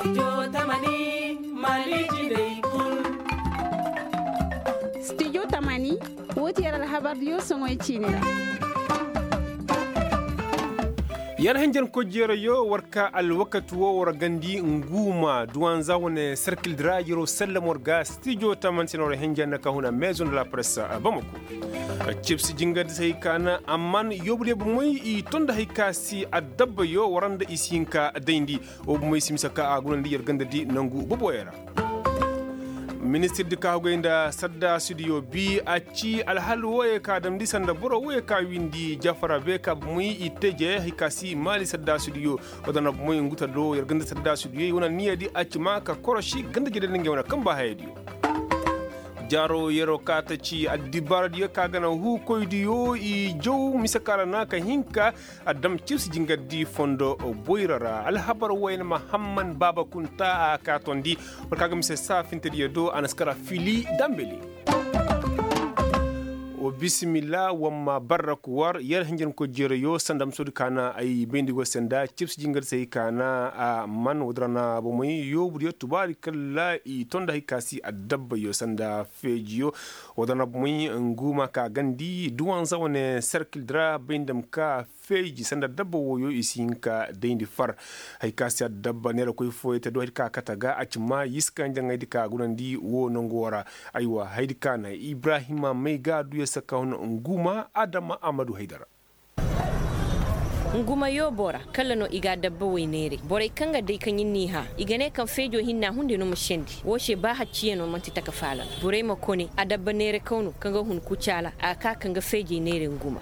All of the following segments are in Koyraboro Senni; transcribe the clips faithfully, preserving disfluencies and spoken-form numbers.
Studio tamani, woo ti yer alhabardiyo soŋoy ciini ra. Yer hinjankoy jeerayo war ka alwakati woo war gandi nguuma duwanza wane serkildi ra yeroo sallam war ga studio tamani se no war hinjan na ka huna maison de la presse bamako. Cibsi jingardi se hay ka na amman yoobu de bomey i ton da hay ka si addabbayo war nda i si hin ka dayndi. Wo bomey si mise ka a gunandi yer ganda di nangu boboyey ra. Ministir di ka hugay nda saddaasidiyo bi a ci alhal wooyey ka damndi sanda boro wooyey ka windi jafara be ka bomey i teje hay ka si maali saddaasidiyo. Wadana bomey ngu ta do yer ganda saddaasidiyo i wane niya di a ci ma ka korosi ganda jede nda ngey wane kamba hayadiyo. Jaaro yeroo ka ta ci addibaaradiyo ka gana huukoydiyo i jaw mise ka ra na ka hin ka a dam cibsi jingardi fondo boyra ra alhabar wayna mahamman baaba kunta a ka tondi. War ka ga mise saafintediyo do a na si kara fili dambeli. Wa bisimilla wamma barraku war yer hinjankoy jeerayo sanda musoodi ka na ay bayndi go se nda cibsi jingardi se hay ka na a man woodi ra na bomey yoobudiyo tubaari kalla i tonda hay ka si addabbayo sanda feejiyo. Woodi ra na bomey ngu ma ka gandi duwanza wane serkildi ra bayndi ma ka feeji sanda dabba wooyo i si hin ka dayndi far. Hay ka si addabba neerakoy fooyey te do hay di ka kate ga a ci ma yiska njaŋaydi ka gunandi woo nangu woo ra. Aywa hay di ka na ibrahima may ga du yer se ka hun nguma adama amadu haydara. Nguma yoobo ra kala no i ga adabba way neeray borey kaŋ ga day ka ɲin n'i hã i ga ne kaŋ feejo hinna hunday no ma sendi woo se ba hacciyaŋo man'ti taka faala no borey ma kone adabba neerakaw no kaŋ ga hun kucaala a ga ka kaŋ ga feejey neeray nguma.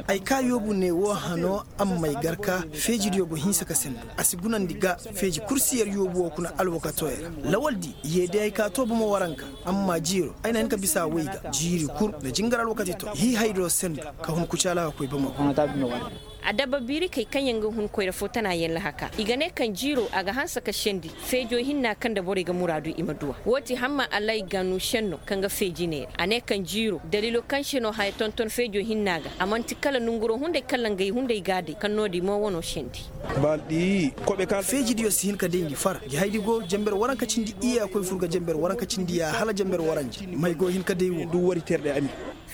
Ay ka yoobu ne woo hano a ma may gar ka feejidiyo go hinsa ka sendu a si gunandi ga feeji kursi yer yoobu woo kuna alwakatoo yer ra lawaldi yeediyay ka too bomo waranka. Amma jiiro ay na hin ka bisa a way ga jiiri kul nda jingar alwakati to hii haydo sendu ka hun kucaala ka koy bomo. Adabba biirikey kaŋ yaŋ ga hun koyra fo tana yaŋ lahaka i ga ne kaŋ jiiro a ga hanse ka sendi feejo hinna kaŋ nda borey ga muraadu i ma du a woo ti hamma allay ganu senno kaŋ ga feeji neera a ne kaŋ jiiro daliilo kaŋ se no haya tonton feejo hinna ga a man'ti kala nanguroo hunday kala ngey hunday ga a day kaŋ no-din mo wano sendi. Feejidiyo si hin ka dayndi far jahaydi go jenber waranka cindi iyya koy fur ga jenber waranka cindi ya hala jenber waranja may go hin ka day wo.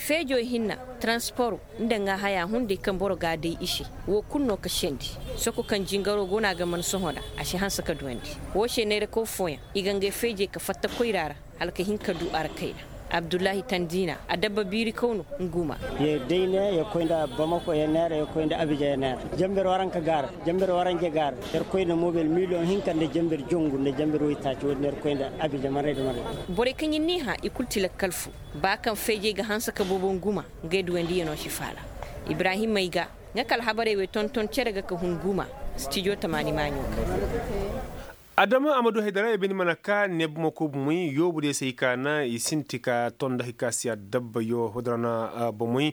Feejo hinna taransporo nda ŋaa haya hunday kaŋ boro ga a day i se woo kul no ka sendi soko kaŋ jingaroo go no a ga man sohõ nda a si hanse ka duwandi woo se neerakaw fooyaŋ i ga ngey feejey ka fatta koyra ra hala ka hin ka du a ra kayna. Abdullahi tandiina adabba biirikaw no nguma. Yer day ne yer koy nda bamako yer neera yer koy nda abijan yer neera jenber waranka gaara jenber waranja gaara yer koy nda mobel miliyoŋ hinka nda jenber jongu nda jenber woytaaci wo-din yer koy nda abijan marayda marayda. Borey kaŋ ir n'i hã i kul ti lakkal fo ba kaŋ feejey ga hanse ka boobo nguma ngey duwandiyanoo si faala. Ibrahim may ga nga ka alhabarey wey tonton cere ga ka hun nguma. Stijo tamaani maaɲo ga. Adama amadu haydara i bindi mana ka ne bumako bumey yoobu diyo se i kaana i sinti ka tonda hay ka si addabba yo hodorana. Bumey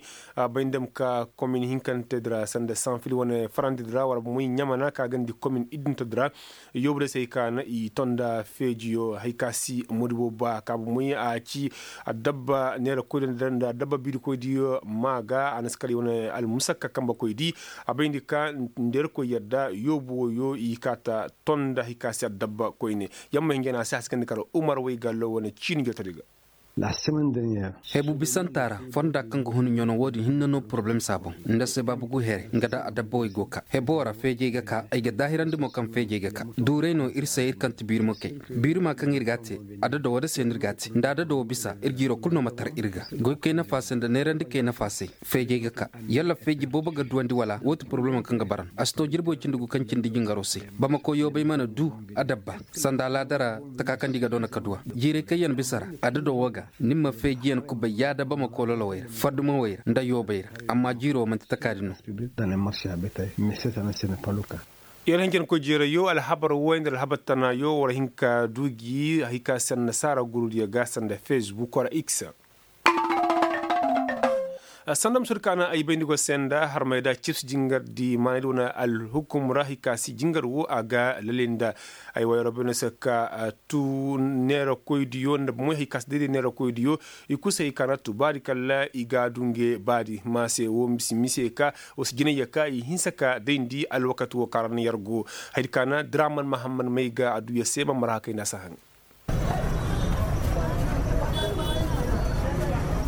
bay nda ma ka komin hinkante dira sanda sanfil wane farandi dira wala bumey ɲamana ka gandi komin idinto dira. Yoobu diyo se i kaana i tonda feeji yo hay ka si modi boobo ba ka bumey a ci addabba neera koy dira nda addabba biiri koy diyo ma ga a na si kala i wane almusakka kamba koy di. A bay nda ka nda yerkoy yadda yoobu wo yo i ka ta tonda hay ka si addabba koyne. Yamma hinjana a si hasikandi kala umar waygallo wane ciini jotodi ga. Hebu bisanta ra fonda kaŋ ga hun ɲano wo-din hinne no poroblem se a boŋ nda se baabu gu here nga da adabbawey go ka hebo ra feejey ga ka ay ga daahirandi mo kaŋ feejey ga ka duuray no ir se ir kaŋ ti biirimo kay. Biirima kaŋ ir ga a te adado wo da se no ir ga a te nda adado wo bisa ir jiiro kulu no ma tar ir ga goykey nafa se nda neerandikey nafa se. Feejey ga ka yalla feeji boobo ga duwandi wala wo ti poroblemo kaŋ ga bara no a si to jirbo cindi gu kaŋ cindi jingaro se. Bamako yoobay mana du adabba sanda alaada ra taka kaŋ di ga doona ka duwa jiirey kaŋ yaŋ bisa ra adado wo ga ni ma feejiyaŋ kubay yaada bamako lolowey ra fadumawey ra nda yoobay ra. Amma jiiro manti taka din no. Yer hinjankoy jeerayo alhabar woy nda alhabar tanayo war hin ka du gi hay ka se annasaara gurudiyo ga sanda facebook wala x. Sanda musur kaana ay bayndi go se nda harmay da cibsi jingardi maanay da wane alhukum ra hay ka si jingar wo a ga lalinda. Ay wayro bene se ka tu neera koydiyo nda moy hay ka si dayday neera koydiyo. I kul se hay ka na tu baadi kala i ga du nge baadi ma se wo misi mise ka wo si jinayya ka i hinsa ka dayndi alwakati wo ka ra na yar go. Hay ka na draman mahammad may ga a du ya se ma mara hakay nda a si haŋ.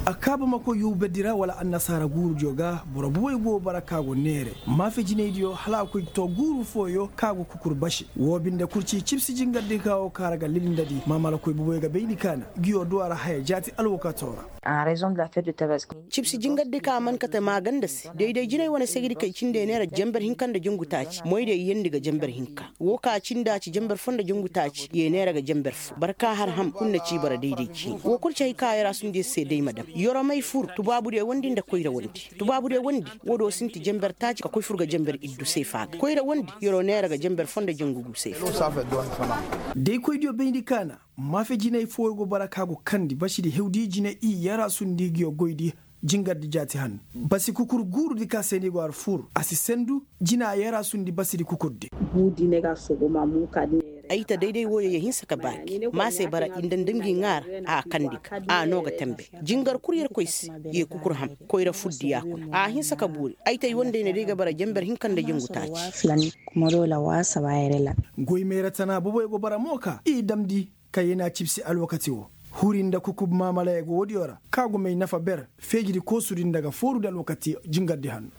A kaaba ma koy yuu berdi ra wala annasaara guurudiyo ga boro bubey go bara ka go neere maafe jinaydiyo hala a koy to guuru fooyo ka go kukur base. Woo binde kul ci cibsi jingardi ka wo ka ra ga lilindadi maamala koy bubey ga bayndi kaana. Ngiyo du a ra haya jaati alwakato ra. Cibsi jingardi ka man kate maaganda se dayday jinay wane segidi kay cindey neera jenber hinka nda jangu taaci moydey yeendi ga jenber hinka. Woo ka cindi a ci jenber fo nda jangu taaci yee neera ga jenber fo boro ka har ham kul na ci bara dayday ciini woo kul ci hay ka yarasundi se day ma dam. Yoromey fur tubaabudiyo wondi nda koyra wondi. Tubaabudiyo wondi woo do sinti jenber taaci ka koy fur ga jenber iddu seefa ga koyra wondi yoro neera ga jenber fo nda jangu gu seefa. Daykoydiyo bayndi kaana maafe jinay fooyo go bara ka go kandi basidi hewdi jine i yarasundi ngiyo goydi. Jingardi jaati han basi kukur guurudi ka se ni go har fur a si sendu. Jina yarasundi basidi kukurdi. Ay ta dayday wooyo ya hinsa ka baagi ma se bara i nda nda ngi ŋaara a kandi ga a no ga tambe. Jingar kul yerkoy se ye kukur ham koyra fuddi yaakuna a hinsa ka boori ay ta i wondey na day ga bara jenber hinka nda jangu taaci. Goy meera tana boboy go bara mo ka i damndi. Ka yena cibsi alwakati wo huri nda kukub maamala ye go woodiyo ra ka gumey nafa ber feejidi koosudi nda ga foorudi alwakati jingardi hanno.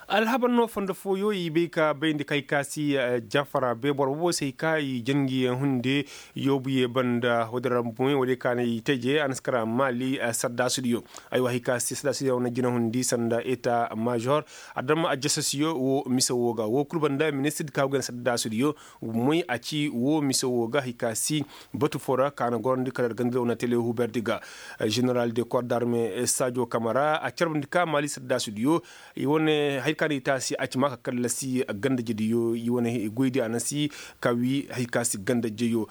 Alhabar no fondo fooyo i bay ka bayndi kay ka si jafara bay boro bobo se hay ka i jangi hunde yoobu ye banda woodin ra bumey woodin ka na i teje a na si kara maali saddaasudiyo. Aywa hay ka si saddaasudiyo na jina hundi sanda eta major adama ajasasiyo wo mise wo ga wo kul banda ministir di ka go gana saddaasudiyo. Moy a ci woo mise woo ga hay ka si batu foo ra ka na gorandi kala ganda woo na tele huberdi ga. Ženeral de kor darme sajo kamara a carbandi ka maali saddaasudiyo. I wane hay ka na i taasi a ci ma ka kallasi gandajediyo i wane goydi a na si ka wi hay ka si gandajeyo.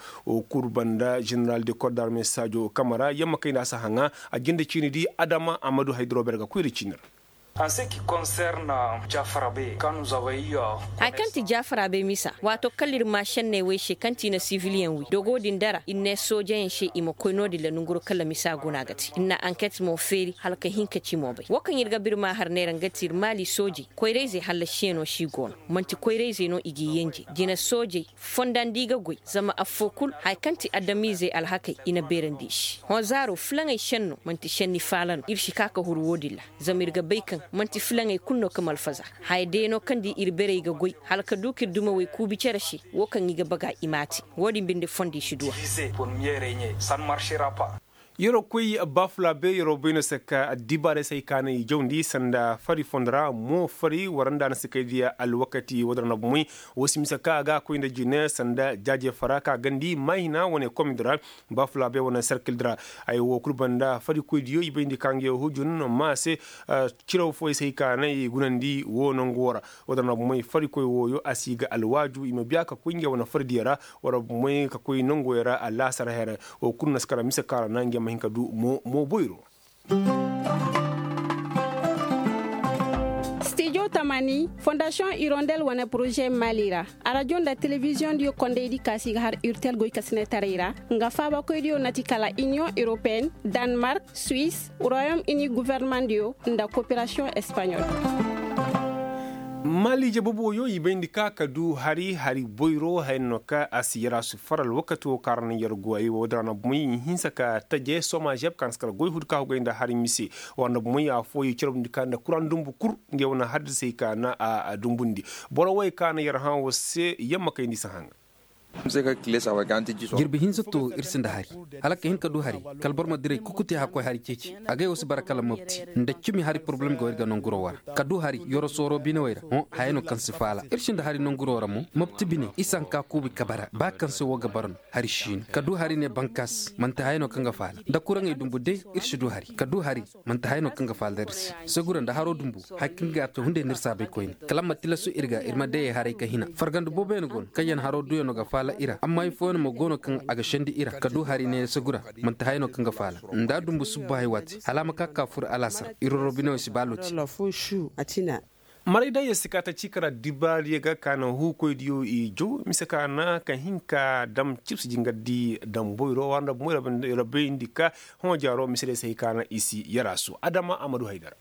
Kul banda ženeral de kor darme sajo kamara yamma kay nda a si haŋa a jinde ciinidi adama a ma du hay dorober ga koyra ciini ra. Haya kaŋ ti jafara bay misa waato kala ir ma šenney wey se kaŋ ti i na siviliyeŋ wi dogo din dara ir ne soojeyaŋ se i ma koy no-din ra nanguro kala misa guna ga te ir na anket mo feeri hala ka hin ka ci mo bay wo kaŋ ir ga bir ma har neera nga ti ir maali soojey koyrayzey hallasiyaŋo se i go no. Man'ti koyrayzey no i g'i yenje jina soojey fonda nda i ga goy zama affoo kul haya kaŋ ti adamiizey alhakey i na beerandi i se hõ zaaro filaŋey šenno man'ti šenni faala no ir si ka ka huru wo-din ra. Zama ir ga bay kaŋ man'ti filaŋey kul no ka malfaza haya deeno kaŋ di ir berey ga goy hala ka du k'ir dumawey kuubi cere se. Wo kaŋ i ga baga i m'a te wo-din binde fondo i si du a. Yeroo koy baafulaabe yeroo bay no se ka addibaarey se hay ka na i jawndi sanda fari fondo ra mo fari waranda na si kay diya alwakati wo-din ra na bumey. Wo si mise ka a ga a koy nda jine sanda jaaje fara ka gandi maahina wane komidi ra. Baafulaabe wane serkildi ra. Ay wo kul banda farikoydiyo i bayndi ka nga yoo hujun ma se. Ciraw fooyey se hay ka na i gunandi woo nangu woo ra. Woo da na bumey farikoy wooyo a si ga alwaaju i ma biya ka koy ngey wane fardiyo ra. Wala bumey ka koy nanguyo ra alaasar here. Woo kulu na si kara mise kaŋ ra na ngey ma hin ka du mo boyro. Stijo tamani fondasiyoŋ irondel wane poroze maali ra. Arajo nda telebiziyoŋ diyo kondaydi ka si ga har urtel goykasinetaray ra. Nga faabakoydiyo na ti kala iniyoŋ europeen, danmark, suwis, royom ini gofornamaŋ diyo nda koperasiyoŋ espaɲol. Maali jababooyo i bayndi ka ka du hari hari boyro haya no ka a si yar a si far alwakati wo kaŋ ra na yar go ay wo da ra na bumey i hinsa ka taje somajeb kaŋ a si kar goy hudu ka hugay nda hari mise. War na bumey afooyo i carabndi ka nda kuraŋ dumbu kul ngey wane haddasey ka na a dumbundi. Boro wey ka na yar hã wo se yamma kayndi si haŋa. Jirbi hinza to ir sinda hari. Hala ka hin ka du hari kala boro ma diray kukuti hakkoy hari ceeci. Agay wo si bara kala mopti nda cimi hari poroblem ga wo ir ga nanguro wara ka du hari yoro sooro bine wey ra hõ hayey no kaŋ si faala ir sinda hari nanguro ra mo mopti bine isa nka kuubi ka bara ba kaŋ se wo ga bara no. Hari siino ka du hari ne bankas manti hayey no kaŋ ga faala nda kuraŋey dumbu day ir si du hari ka du hari. Manti haya no kaŋ ga faala ir se. Segura nda haro dumbu haya kaŋ ga a to hunday no ir saabay koyne kala ma tilasu ir ga ir ma dayey haray ka hina farganda booboyaŋ go no kaŋ yaŋ haro duyaŋo ga faala. I ra amma hay fooyaŋ mo go no kaŋ a ga sendi i ra ka du hari neeya sagu ra. Man'ti haya no kaŋ ga faala nda dumbu subba hay waati hala a ma ka ka fur alaasar i rorobiney wo si ba looti. Maray day yer si ka ta ciika ra dibaariyo ga ka na huukoydiyo i jaw mise ka na ka hin ka dam cibsi jingardi damboyro war nda bumoy ra bayndi ka hõ jaaro mise day si hay ka na i si yaraasu adama a ma du haydara.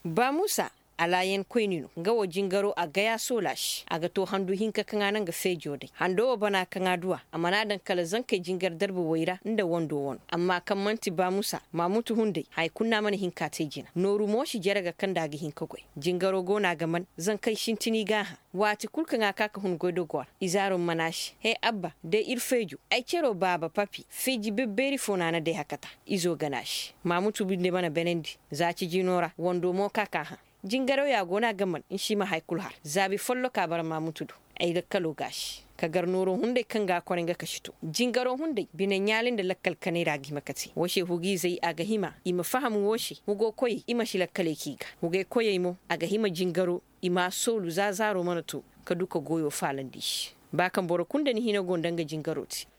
Ba muusa alaayan koyni no nga wo jingaro a gaya soolaasi a ga to handu hinka kaŋ a naŋ ga feejo day hando wo bana kaŋ a duwa a mana daŋ kala zankey jingar darba way ra nda wando wano amma kaŋ man'ti ba muusa maamutu hunday haya kulu no a mana hin ka te jina nooru mo si jere ga kaŋ nda a ga hin ka goy. Jingaro go no a ga man zankey sintini gaaha waati kulu kaŋ a ka ka hun goydogo ra. Izaaro mana se he abba day ir feejo ay cero baaba papi feeji bebbeeri fo no a na day hakata. Izo gana se maamutu binde mana benandi za cijino ra wando mo ka ka hã. Jingarawya go no a ga man nsi ma haya kulu har zaabi folloka bara maamutu do. Ay lakkalo gaasi ka gar nooro hunday kaŋ ga a koray nga ka si to jingaro hunday bine ɲaali nda lakkal kanay ra a ga hima ka te wo se hugiizey a ga hima i ma faham wo se hugo koyey i ma si lakkaley k'i ga hugey koyey mo a ga hima jingaro i m'a soolu za zaaro mana to ka du ka goyo faalandi i se. Ba kaŋ boro kulu nda ni hina go nda nga jingaro te.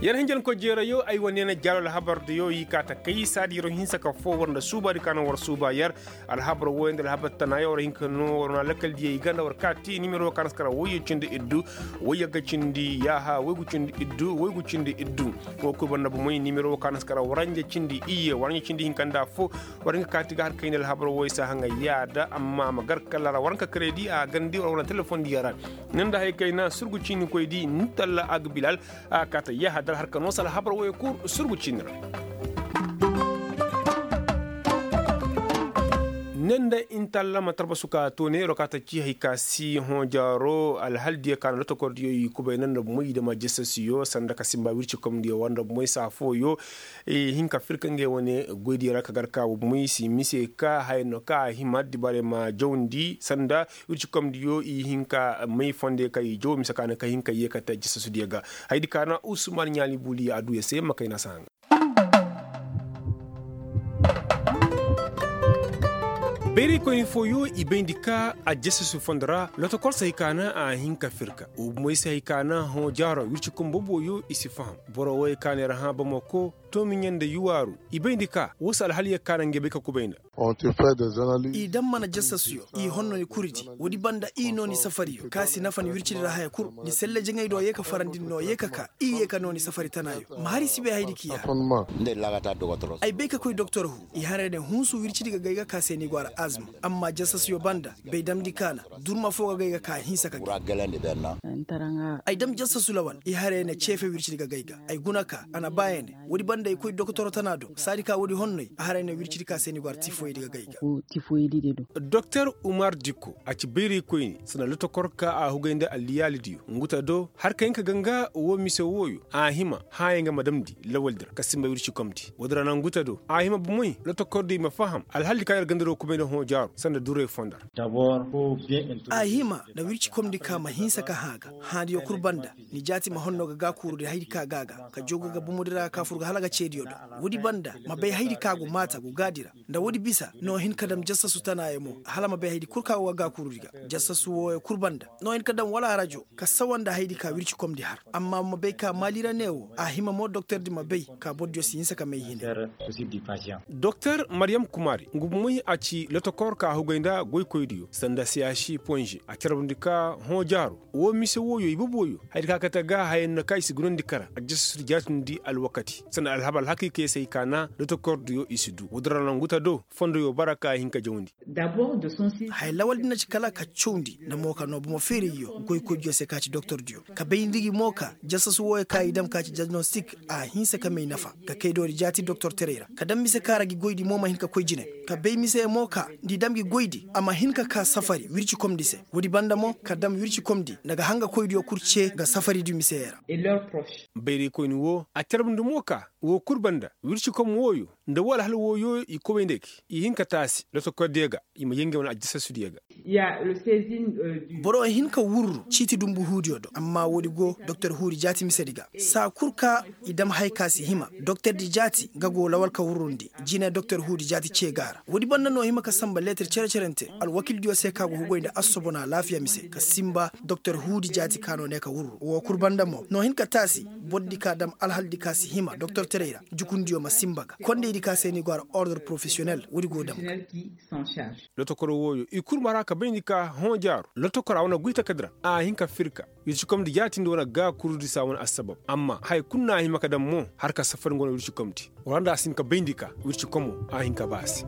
Yer hinjankoy jeerayo ay wane na jaalo alhabar diyo i ka ta kay saadi yer wo hinsa ka foo war nda suubaadi ka no war suuba yer. Alhabar wooyo nda alhabar tanaayo war hin ka no war wane lakkal diyey ga nda war kaati nimero ka na si kara woyyo cindi iddu woyyo ga cindi yaaha woygu cindi iddu woygu cindi iddu. Wo kul banda bomey nimero ka na si kara waranja cindi iyye waranja cindi hinka nda foo. War hin ka kaati ga har kayndi alhabar wooyo si a haŋa yaada amma ma gar kala ra war hin ka karedi a gandi war wane telefoŋ diya ra. Ni nda hari kayna surgu ciinikoy di ni talla a ga bilal. A ga kaata yahadar harka no sala habar wayey kul surgu ciini ra. Ne nda intalla ma tarbasu ka to ne yer wo ka ta ci hari ka si hõ jaaro alhal diyo ka na lotokordiyo i kubay ne nda bomey i dama jasasiyo sanda ka simba wirci komdiyo war nda bomey saa fooyo. I hin ka firka ngey wane goydiyo ra ka gar ka bomey si mise ka haya no ka a hima dibaarey ma jawndi sanda wirci komdiyo i hin ka may fondey ka i jaw mise ka ne ka hin ka yee ka te jasasudiyo ga. Hayadi ka na usman ɲaali buliya a du yer se ma kay na si haŋ. Bayraykoyni fooyo i bayndi ka a jasasu fondo ra lotokor se hay ka na a hin ka firka wo bomey se hay ka na hõ jaaro wirci kombo booyo i si faham. Boro wooyo ka ne ra hã bamako toomiɲe nda yuwaaru i bayndi ka wo se alhaliyo ka na ngey bay ka kubay nda. I daŋ mana jasasuyo i honno ni kuridi. Woodi banda i noo ni safariyo ka si nafa ni wircidi ra haya kul ni selle jaŋay do yee ka farandi ni noo yee ka ka i yee ka noo ni safari tanaayo. Ma har i si bay hayadi k'i har. Ay bay ka koy doktor hu i haray ne hunsu wircidi ga gay ga ka se ni go a ra azma. Amma jasasuyo banda bay damndi ka na durma foo ga gay ga ka hinsa ka gay. Ay dam jasasu lawal i haray ne ceefe wircidi ga gay ga. Ay guna ka a na ba ya ne woodi banda i koy doktor tana do saadi ka woodi honnoy a haray ne wircidi ka se ni go a ra tifoyidi ga gay ga. Doktor umar dikko a ci bayraykoyni sanda lotokor ka a hugay nda alliyaalidiyo nguta do har ka hin ka ganga woo mise wooyo a hima hãayaŋ ga ma damndi lawaldi ra ka simba wircikomdi woodi ra na nguta do a hima bomey lotokordiyo i ma faham alhaldi ka yer ganda do kubay nda hõ jaaru sanda duray fondo ra. A hima nda wircikomdi ka ma hinsa ka hã ga hãadiyo kul banda ni jaati ma honno ga gaakuurudi hayadi ka ga a ga ka jooga ga bomodi ra ka fur ga hala ga ceediyo do. Woodi banda ma bay hayadi ka go maata go gaadi ra nda woodi bisa no hin ka dam jasasu tanaayo mo hala ma bay hayadi kul ka go ga gaakuurudi ga. Jasasu wooyo kul banda no hin ka dam wala arajo ka sawa nda hayadi ka wircikomdi har. Amma ma bay ka maali ra ne wo a hima mo doktordi ma bay ka bordiyo si hinsa ka may hine. Doktor mariyam kumari ngu bomey a ci lotokor ka hugay nda goykoydiyo sanda siyaasi ponze a carbundi ka hõ jaaru woo mise wooyo i boboyo hayadi ka kate ga hayaŋ na ka i si gunandi kara a jasasudi jaatindi alwakati sanda alhabar alhakiikey se hay ka na lotokordiyo i si du woodi ra na ngu ta do fondoyo bara ka hin ka jawndi. Haya lawal di na ci kala ka cawndi nda mo ka noo bomo feerayyo goykoydiyo se ka ci doktordiyo ka bay nda gi mo ka jasasu wooyo ka i dam ka ci diagnostik a hinsa ka may nafa ka kay doori jaati doktorteray ra ka dam mise ka ra gi goydi mo ma hin ka koy jine ka bay mise mo ka nda i dam gi goydi a ma hin ka ka safari wircikomdi se. Woodi banda mo ka dam wircikomdi nda ga hangakoydiyo kul cee ga safaridi misey ra. Bayraykoyni woo a carbundi mo ka woo kul banda wircikom wooyo nda woo alhal wooyo i kobay nda gi i hin ka taasi lotokordiyo ga i ma yee ngey wane aljasasudiyo ga. Boro hin ka wurru ciiti dunbu huudiyo do amma woodi go doktor huudi jaati misedi ga saa kul ka i dam haya ka si hima doktordi jaati nga go lawal ka wurrundi jine doktor huudi jaati cee ga a ra woodi banda no hima ka sanba leetir cere-cerente alwakildiyo se ka go hugay nda assobona alaafiya mise ka sinba doktor huudi jaati ka no ne ka wurru woo kul banda mo no hin ka taasi bordi ka dam alhaldi ka si hima doktortaray ra jukundiyo ma sinba ga kondaydi ka se ni go a ra ordre porofesiyonel woodi go dam ga. Lotokoro wooyo i kul mara ka bayndi ka hõ jaaru lotokora wane goy takadi ra a hin ka firka wircikomdi jaatindi wane gaakurudi saa wane assabab amma haya kul no a hima ka daŋ mo har ka safari nga wane wircikomdi wara nda a si hin ka bayndi ka wircikomo a hin ka ba a se.